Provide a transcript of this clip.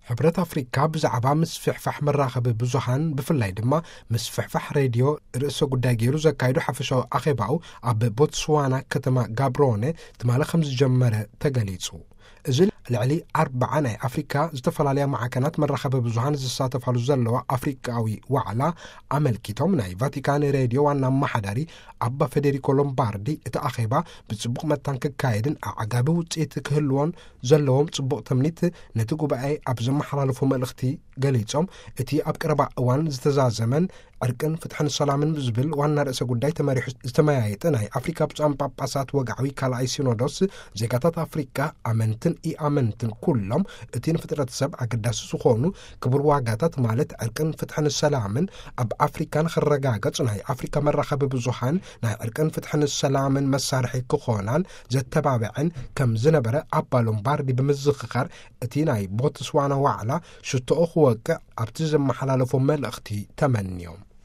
ሕብረት ኣፍሪካ ብዛዕባ ምስፍሕፋሕ መራኸቢ ብዙሃን፣ ብፍላይ ድማ ምስፍሕፋሕ ሬድዮ ርእሰ ጉዳይ ገይሩ ዘካየዶ ሓፈሻዊ ኣኼባኡ ኣብ ቦትስዋና ከተማ ጋብሮነ ትማሊ ከም ዝጀመረ ተገሊጹ። እዚ ልዕሊ ኣርባዓ ናይ ኣፍሪካ ዝተፈላለያ ማዕከናት መራኸቢ ብዙሃን ዝሳተፋሉ ዘለዋ ኣፍሪካዊ ዋዕላ ኣመልኪቶም፣ ናይ ቫቲካን ሬድዮ ዋና ኣመሓዳሪ ኣባ ፌዴሪኮ ሎምባርዲ፣ እቲ ኣኼባ ብጽቡቕ መታን ክካየድን ኣዕጋቢ ውጽኢት ክህልዎን ዘለዎም ጽቡቕ ትምኒት ነቲ ጉባኤ ኣብ ዘመሓላለፉ መልእኽቲ ገሊጾም፣ እቲ ኣብ ቀረባ እዋን ዝተዛዘመን ዕርቅን ፍትሕን ሰላምን ዝብል ዋና ርእሰ ጉዳይ ተመሪሑ ዝተመያየጠ ናይ ኣፍሪካ ብፁዓን ጳጳሳት ወግዓዊ ካልኣይ ሲኖዶስ፣ ዜጋታት ኣፍሪካ ኣመንትን ኢኣመንትን ኩሎም እቲ ንፍጥረት ሰብ ኣገዳሲ ዝኾኑ ክቡር ዋጋታት፣ ማለት ዕርቅን ፍትሕን ሰላምን፣ ኣብ ኣፍሪካ ንኽረጋገጽ ናይ ኣፍሪካ መራኸቢ ብዙሃን ናይ ዕርቅን ፍትሕን ሰላምን መሳርሒ ክኾናን ዘተባብዐን ከም ዝነበረ ኣባ ሎምባርዲ ብምዝኽኻር፣ እቲ ናይ ቦትስዋና ዋዕላ ሽቶኡ ክወቅዕ ኣብቲ ዘመሓላለፎ መልእኽቲ ተመንዮም።